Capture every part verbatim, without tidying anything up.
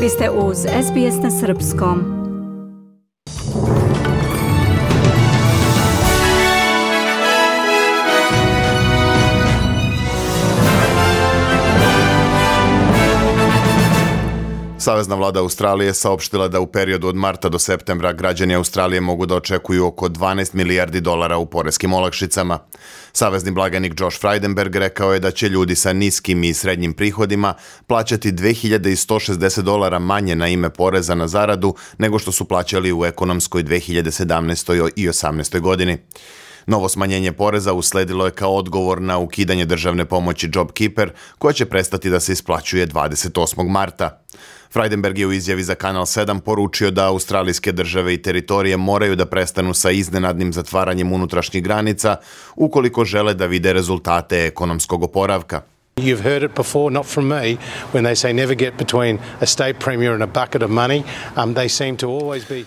Vi ste uz S B S na srpskom. Savezna vlada Australije saopštila da u periodu od marta do septembra građani Australije mogu da očekuju oko dvanaest milijardi dolara u poreskim olakšicama. Savezni blagajnik Josh Frydenberg rekao je da će ljudi sa niskim i srednjim prihodima plaćati dve hiljade sto šezdeset dolara manje na ime poreza na zaradu nego što su plaćali u ekonomskoj dve hiljade sedamnaestoj i osamnaestoj godini. Novo smanjenje poreza usledilo je kao odgovor na ukidanje državne pomoći JobKeeper, koja će prestati da se isplaćuje dvadeset osmog marta. Frydenberg je u izjavi za Kanal sedam poručio da australijske države i teritorije moraju da prestanu sa iznenadnim zatvaranjem unutrašnjih granica ukoliko žele da vide rezultate ekonomskog oporavka. You've heard it before, not from me, when they say never get between a state premier and a bucket of money. Um, they seem to always be...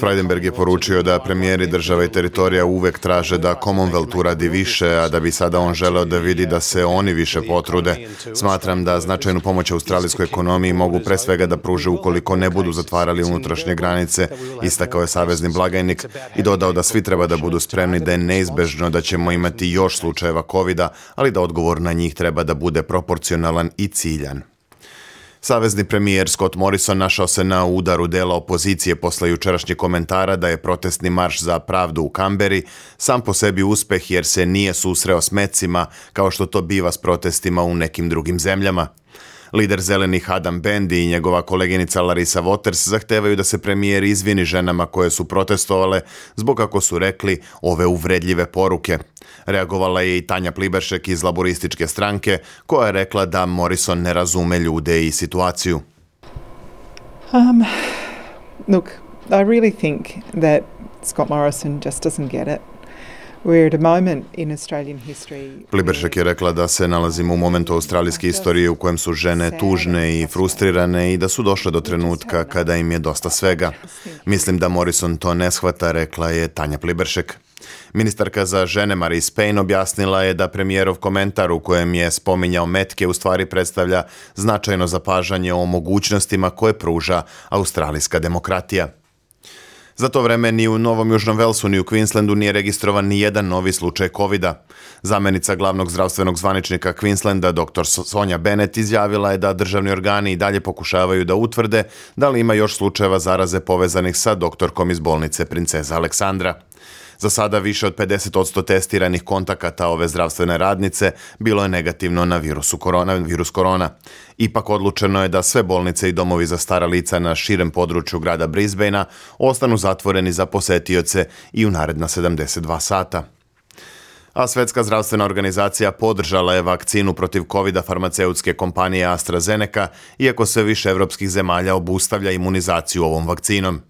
Frydenberg je poručio da premijeri država i teritorija uvek traže da Commonwealth uradi više, a da bi sada on želeo da vidi da se oni više potrude. Smatram da značajnu pomoć australijskoj ekonomiji mogu pre svega da pruže ukoliko ne budu zatvarali unutrašnje granice, istakao je savezni blagajnik i dodao da svi treba da budu spremni da je neizbežno da ćemo imati još slučajeva kovida, ali da odgovor na njih treba da bude proporcionalan i ciljan. Savezni premijer Scott Morrison našao se na udaru dela opozicije posle jučerašnjeg komentara da je protestni marš za pravdu u Kamberi sam po sebi uspeh jer se nije susreo s mecima kao što to biva s protestima u nekim drugim zemljama. Lider zelenih Adam Bandy i njegova koleginica Larissa Waters zahtevaju da se premijer izvini ženama koje su protestovale zbog, kako su rekli, ove uvredljive poruke. Reagovala je i Tanja Pliberšek iz laborističke stranke, koja je rekla da Morrison ne razume ljude i situaciju. Um, look, I really think that Scott Morrison just doesn't get it. We're at a moment in Australian history. Pliberšek je rekla da se nalazimo u momentu australijske istorije u kojem su žene tužne i frustrirane i da su došle do trenutka kada im je dosta svega. Mislim da Morrison to ne shvata, rekla je Tanja Pliberšek. Ministarka za žene Marise Payne objasnila je da premijerov komentar u kojem je spominjao metke u stvari predstavlja značajno zapažanje o mogućnostima koje pruža australijska demokratija. Za to vreme ni u Novom Južnom Velsu ni u Queenslandu nije registrovan ni jedan novi slučaj kovida. Zamenica glavnog zdravstvenog zvaničnika Queenslanda, doktor Sonja Bennett, izjavila je da državni organi i dalje pokušavaju da utvrde da li ima još slučajeva zaraze povezanih sa doktorkom iz bolnice Princeza Aleksandra. Za sada više od pedeset posto testiranih kontakata ove zdravstvene radnice bilo je negativno na virusu korona, virus korona. Ipak odlučeno je da sve bolnice i domovi za stara lica na širem području grada Brisbanea ostanu zatvoreni za posetioce i u naredna sedamdeset dva sata. A Svetska zdravstvena organizacija podržala je vakcinu protiv kovida farmaceutske kompanije AstraZeneca, iako sve više evropskih zemalja obustavlja imunizaciju ovom vakcinom.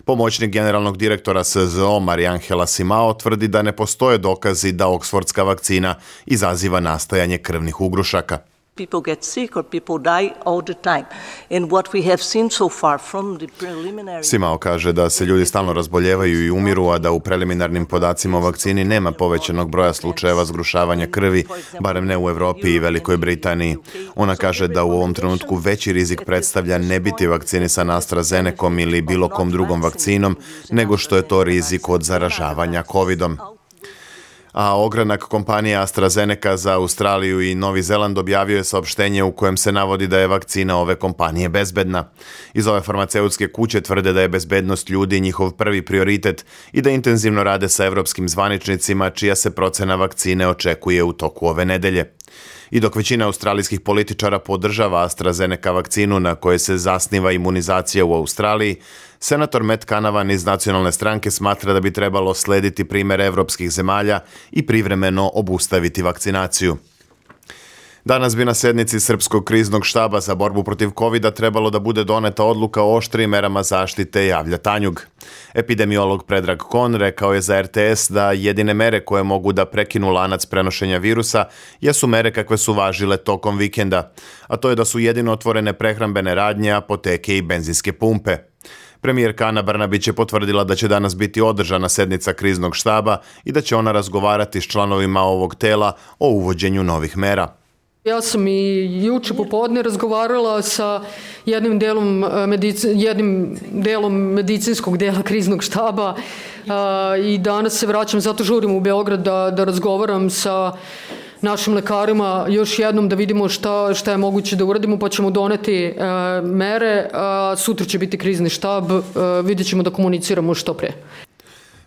Pomoćnik generalnog direktora S Z O Mariangela Simao tvrdi da ne postoje dokazi da oksfordska vakcina izaziva nastajanje krvnih ugrušaka. People get sick or people die all the time. And what we have seen so far from the preliminary... Simao kaže da se ljudi stalno razboljevaju i umiru, a da u preliminarnim podacima o vakcini nema povećanog broja slučajeva zgrušavanja krvi, barem ne u Evropi i Velikoj Britaniji. Ona kaže da u ovom trenutku veći rizik predstavlja ne biti vakcinisan AstraZenecom ili bilo kom drugom vakcinom, nego što je to rizik od zaražavanja covidom. A ogranak kompanije AstraZeneca za Australiju i Novi Zeland objavio je saopštenje u kojem se navodi da je vakcina ove kompanije bezbedna. Iz ove farmaceutske kuće tvrde da je bezbednost ljudi njihov prvi prioritet i da intenzivno rade sa evropskim zvaničnicima, čija se procena vakcine očekuje u toku ove nedelje. I dok većina australijskih političara podržava AstraZeneca vakcinu na kojoj se zasniva imunizacija u Australiji, senator Matt Canavan iz nacionalne stranke smatra da bi trebalo slediti primjer evropskih zemalja i privremeno obustaviti vakcinaciju. Danas bi na sednici Srpskog kriznog štaba za borbu protiv kovida trebalo da bude doneta odluka o oštrijim merama zaštite, javlja Tanjug. Epidemiolog Predrag Kon rekao je za R T S da jedine mere koje mogu da prekinu lanac prenošenja virusa jesu mere kakve su važile tokom vikenda, a to je da su jedino otvorene prehrambene radnje, apoteke i benzinske pumpe. Premijerka Ana Brnabić je potvrdila da će danas biti održana sednica kriznog štaba i da će ona razgovarati s članovima ovog tela o uvođenju novih mera. Ja sam i juče popodne razgovarala sa jednim delom, medici, jednim delom medicinskog dela kriznog štaba i danas se vraćam, zato žurim u Beograd da, da razgovaram sa našim lekarima još jednom da vidimo šta, šta je moguće da uradimo, pa ćemo doneti e, mere. A sutra će biti krizni štab, e, vidjet ćemo da komuniciramo što pre.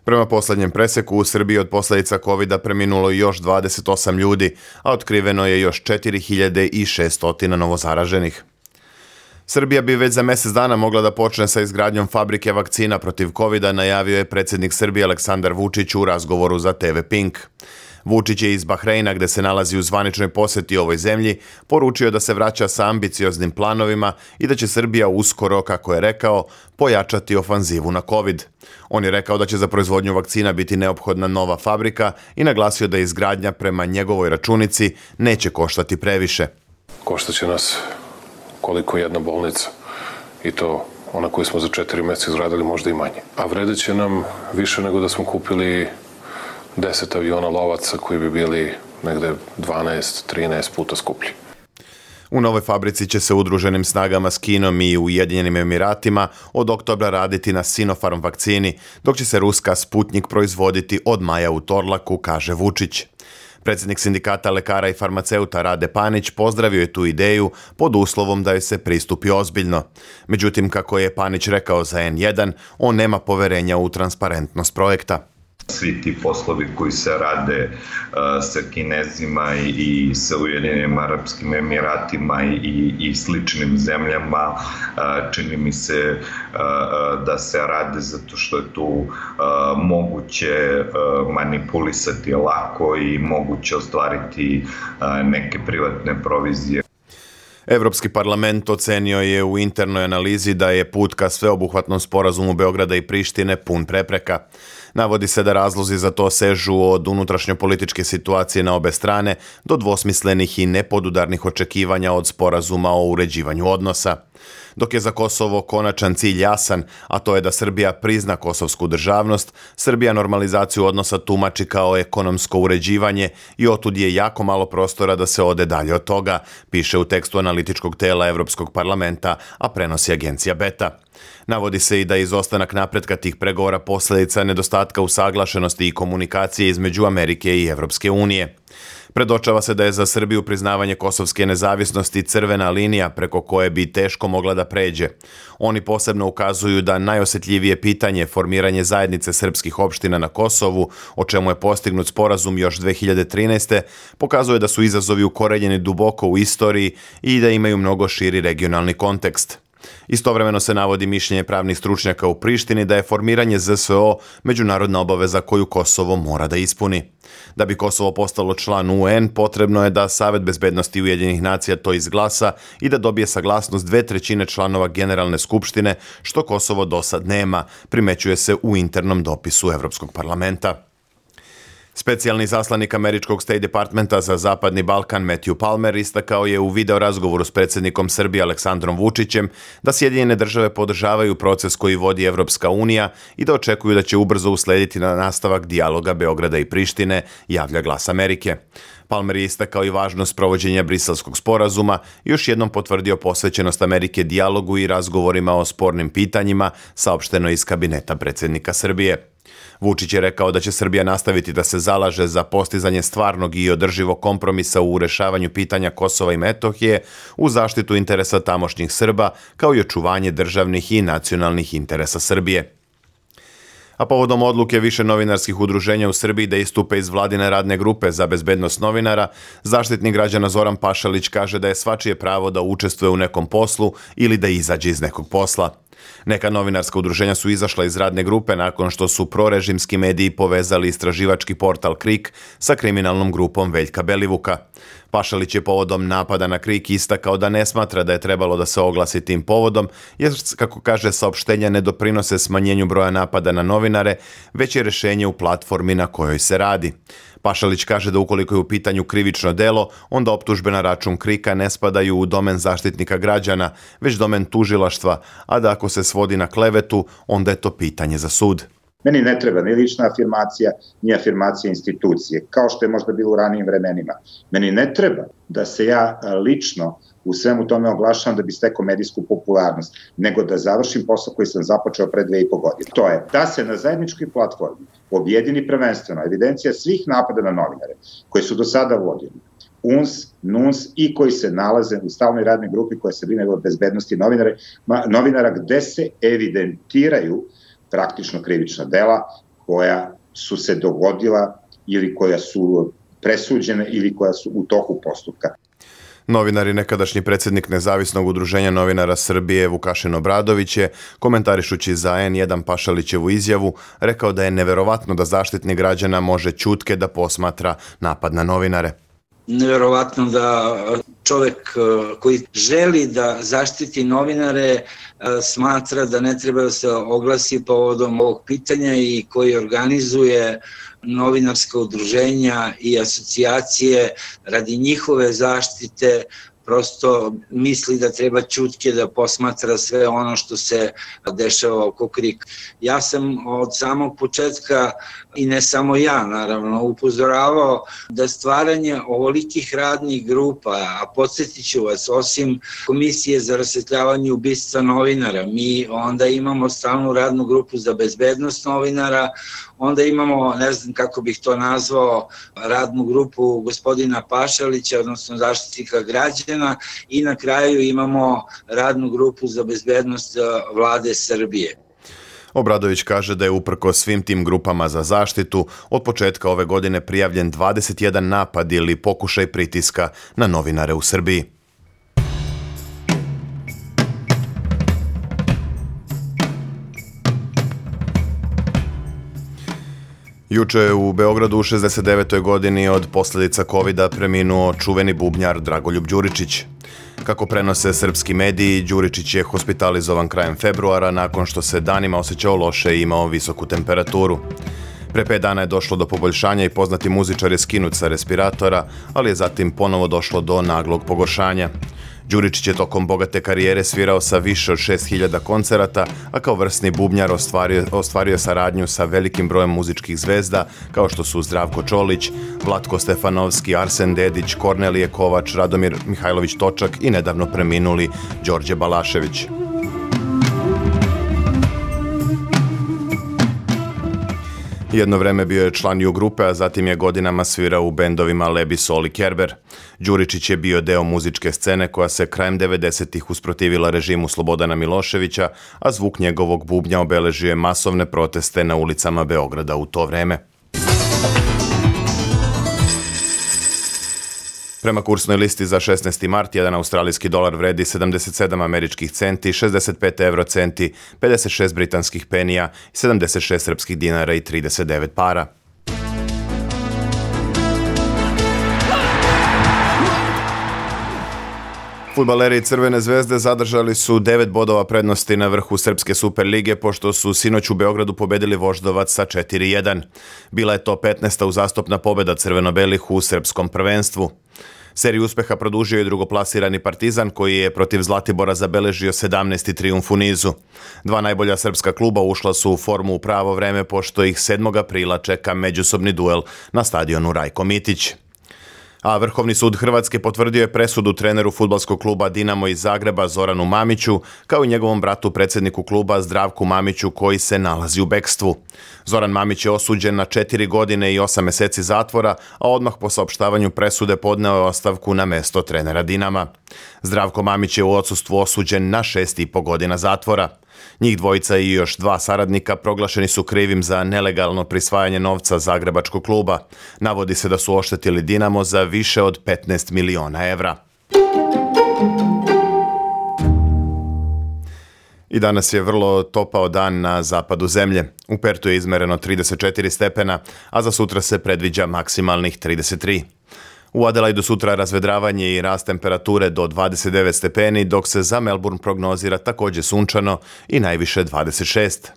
Prema poslednjem preseku, u Srbiji od posljedica kovida preminulo još dvadeset osam ljudi, a otkriveno je još četiri hiljade šesto novozaraženih. Srbija bi već za mjesec dana mogla da počne sa izgradnjom fabrike vakcina protiv kovida, najavio je predsjednik Srbije Aleksandar Vučić u razgovoru za te ve Pink. Vučić je iz Bahreina, gde se nalazi u zvaničnoj posjeti ovoj zemlji, poručio da se vraća sa ambicioznim planovima i da će Srbija uskoro, kako je rekao, pojačati ofanzivu na covid. On je rekao da će za proizvodnju vakcina biti neophodna nova fabrika i naglasio da izgradnja prema njegovoj računici neće koštati previše. Koštaće nas koliko jedna bolnica, i to ona koju smo za četiri mjeseca izgradili, možda i manje. A vredeće nam više nego da smo kupili deset aviona lovaca koji bi bili negde dvanaest trinaest puta skuplji. U novoj fabrici će se udruženim snagama s Kinom i Ujedinjenim Emiratima od oktobra raditi na Sinopharm vakcini, dok će se ruska Sputnik proizvoditi od maja u Torlaku, kaže Vučić. Predsjednik sindikata lekara i farmaceuta Rade Panić pozdravio je tu ideju pod uslovom da joj se pristupi ozbiljno. Međutim, kako je Panić rekao za en jedan, on nema poverenja u transparentnost projekta. Svi ti poslovi koji se rade uh, sa Kinezima i, i sa Ujedinjenim Arapskim Emiratima i, i sličnim zemljama, uh, čini mi se uh, da se rade zato što je tu uh, moguće uh, manipulisati lako i moguće ostvariti uh, neke privatne provizije. Evropski parlament ocenio je u internoj analizi da je put ka sveobuhvatnom sporazumu Beograda i Prištine pun prepreka. Navodi se da razlozi za to sežu od unutrašnjopolitičke situacije na obe strane do dvosmislenih i nepodudarnih očekivanja od sporazuma o uređivanju odnosa. Dok je za Kosovo konačan cilj jasan, a to je da Srbija prizna kosovsku državnost, Srbija normalizaciju odnosa tumači kao ekonomsko uređivanje i otud je jako malo prostora da se ode dalje od toga, piše u tekstu analitičkog tela Evropskog parlamenta, a prenosi agencija Beta. Navodi se i da je izostanak napretka tih pregovora posljedica nedostatka usaglašenosti i komunikacije između Amerike i Evropske unije. Predočava se da je za Srbiju priznavanje kosovske nezavisnosti crvena linija preko koje bi teško mogla da pređe. Oni posebno ukazuju da najosjetljivije pitanje, formiranje zajednice srpskih opština na Kosovu, o čemu je postignut sporazum još dve hiljade trinaeste, pokazuje da su izazovi ukorenjeni duboko u istoriji i da imaju mnogo širi regionalni kontekst. Istovremeno se navodi mišljenje pravnih stručnjaka u Prištini da je formiranje ze es o međunarodna obaveza koju Kosovo mora da ispuni. Da bi Kosovo postalo član u en, potrebno je da Savet bezbednosti Ujedinjenih nacija to izglasa i da dobije saglasnost dve trećine članova Generalne skupštine, što Kosovo do sad nema, primećuje se u internom dopisu Evropskog parlamenta. Specijalni zaslanik američkog State Departmenta za Zapadni Balkan Matthew Palmer istakao je u video razgovoru s predsjednikom Srbije Aleksandrom Vučićem da Sjedinjene države podržavaju proces koji vodi Evropska unija i da očekuju da će ubrzo uslediti na nastavak dijaloga Beograda i Prištine, javlja Glas Amerike. Palmer je istakao i važnost provođenja Briselskog sporazuma i još jednom potvrdio posvećenost Amerike dijalogu i razgovorima o spornim pitanjima, saopšteno iz kabineta predsjednika Srbije. Vučić je rekao da će Srbija nastaviti da se zalaže za postizanje stvarnog i održivog kompromisa u rešavanju pitanja Kosova i Metohije u zaštitu interesa tamošnjih Srba, kao i očuvanje državnih i nacionalnih interesa Srbije. A povodom odluke više novinarskih udruženja u Srbiji da istupe iz vladine radne grupe za bezbednost novinara, Zaštitnik građana Zoran Pašalić kaže da je svačije pravo da učestvuje u nekom poslu ili da izađe iz nekog posla. Neka novinarska udruženja su izašla iz radne grupe nakon što su prorežimski mediji povezali istraživački portal Krik sa kriminalnom grupom Veljka Belivuka. Pašalić je povodom napada na Krik istakao da ne smatra da je trebalo da se oglasi tim povodom, jer, kako kaže, saopštenja ne doprinose smanjenju broja napada na novinare, već je rešenje u platformi na kojoj se radi. Pašalić kaže da ukoliko je u pitanju krivično delo, onda optužbe na račun Krika ne spadaju u domen Zaštitnika građana, već domen tužilaštva, a da ako se svodi na klevetu, onda je to pitanje za sud. Meni ne treba ni lična afirmacija, ni afirmacija institucije, kao što je možda bilo u ranijim vremenima. Meni ne treba da se ja lično u svemu tome oglašavam da bi stekao medijsku popularnost, nego da završim posao koji sam započeo pre dve i po godine. To je da se na zajedničkoj platformi objedini prvenstveno evidencija svih napada na novinare koje su do sada vodili U N S, N U N S i koji se nalaze u stalnoj radnoj grupi koja se brine o bezbednosti novinara, novinara gde se evidentiraju praktično krivična dela koja su se dogodila ili koja su presuđene ili koja su u toku postupka. Novinar i nekadašnji predsjednik Nezavisnog udruženja novinara Srbije Vukašin Obradović je, komentarišući za N jedan Pašalićevu izjavu, rekao da je neverovatno da Zaštitnik građana može ćutke da posmatra napad na novinare. Neverovatno da čovek koji želi da zaštiti novinare smatra da ne treba da se oglasi povodom ovog pitanja i koji organizuje novinarska udruženja i asocijacije radi njihove zaštite, prosto misli da treba ćutke da posmatra sve ono što se dešava oko KRIK. Ja sam od samog početka, i ne samo ja naravno, upozoravao da stvaranje ovolikih radnih grupa, a podsjetit ću vas, osim Komisije za rasvetljavanje ubistva novinara, mi onda imamo stalnu radnu grupu za bezbednost novinara, onda imamo, ne znam kako bih to nazvao, radnu grupu gospodina Pašalića, odnosno Zaštitnika građana, i na kraju imamo radnu grupu za bezbednost vlade Srbije. Obradović kaže da je uprkos svim tim grupama za zaštitu od početka ove godine prijavljen dvadeset jedan napad ili pokušaj pritiska na novinare u Srbiji. Juče je u Beogradu u šezdeset devetoj godini od posljedica kovida preminuo čuveni bubnjar Dragoljub Đuričić. Kako prenose srpski mediji, Đuričić je hospitalizovan krajem februara nakon što se danima osjećao loše i imao visoku temperaturu. Pre pet dana je došlo do poboljšanja i poznati muzičar je skinut sa respiratora, ali je zatim ponovo došlo do naglog pogoršanja. Đuričić je tokom bogate karijere svirao sa više od šest hiljada koncerata, a kao vrsni bubnjar ostvario, ostvario saradnju sa velikim brojem muzičkih zvezda, kao što su Zdravko Čolić, Vlatko Stefanovski, Arsen Dedić, Kornelije Kovač, Radomir Mihajlović Točak i nedavno preminuli Đorđe Balašević. Jedno vreme bio je član U grupe, a zatim je godinama svirao u bendovima Lebi Sol i Kerber. Đuričić je bio deo muzičke scene koja se krajem devedesetih usprotivila režimu Slobodana Miloševića, a zvuk njegovog bubnja obeležio je masovne proteste na ulicama Beograda u to vreme. Prema kursnoj listi za šesnaesti mart, jedan australijski dolar vredi sedamdeset sedam američkih centi, šezdeset pet euro centi, pedeset šest britanskih penija, sedamdeset šest srpskih dinara i trideset devet para. Fudbaleri Crvene zvezde zadržali su devet bodova prednosti na vrhu Srpske Superlige pošto su sinoć u Beogradu pobedili Voždovac sa četiri jedan. Bila je to petnaesta uzastopna pobeda crveno-belih u srpskom prvenstvu. Seriju uspeha produžio je drugoplasirani Partizan koji je protiv Zlatibora zabeležio sedamnaesti trijumf u nizu. Dva najbolja srpska kluba ušla su u formu u pravo vreme pošto ih sedmog aprila čeka međusobni duel na stadionu Rajko Mitić. A Vrhovni sud Hrvatske potvrdio je presudu treneru fudbalskog kluba Dinamo iz Zagreba Zoranu Mamiću, kao i njegovom bratu predsjedniku kluba Zdravku Mamiću koji se nalazi u bekstvu. Zoran Mamić je osuđen na četiri godine i osam meseci zatvora, a odmah po saopštavanju presude podneo je ostavku na mesto trenera Dinama. Zdravko Mamić je u odsustvu osuđen na šest i po godina zatvora. Njih dvojica i još dva saradnika proglašeni su krivim za nelegalno prisvajanje novca zagrebačkog kluba. Navodi se da su oštetili Dinamo za više od petnaest miliona evra. I danas je vrlo topao dan na zapadu zemlje. U Pertu je izmereno trideset četiri stepena, a za sutra se predviđa maksimalnih trideset tri. U Adelaidu sutra razvedravanje i rast temperature do dvadeset devet stepeni, dok se za Melbourne prognozira također sunčano i najviše dvadeset šest.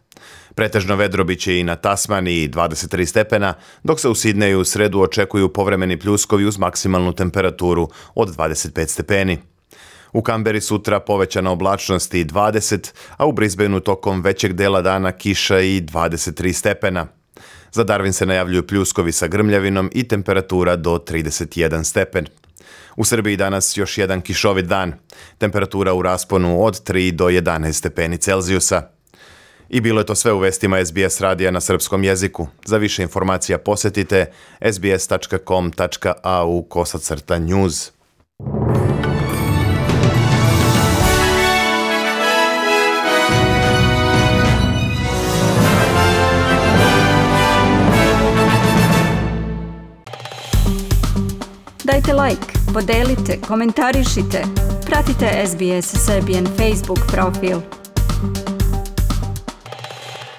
Pretežno vedro biće i na Tasmaniji dvadeset tri stepena, dok se u Sidneju u sredu očekuju povremeni pljuskovi uz maksimalnu temperaturu od dvadeset pet stepeni. U Kamberi sutra povećana oblačnost i dvadeset, a u Brisbaneu tokom većeg dela dana kiša i dvadeset tri stepena. Za Darwin se najavljuju pljuskovi sa grmljavinom i temperatura do trideset jedan stepen. U Srbiji danas još jedan kišovit dan. Temperatura u rasponu od tri do jedanaest stepeni Celzijusa. I bilo je to sve u vestima S B S radija na srpskom jeziku. Za više informacija posetite sbs tačka com tačka a u kosacrta news. Dajte like, podelite, komentarišite. Pratite S B S Serbian Facebook profil.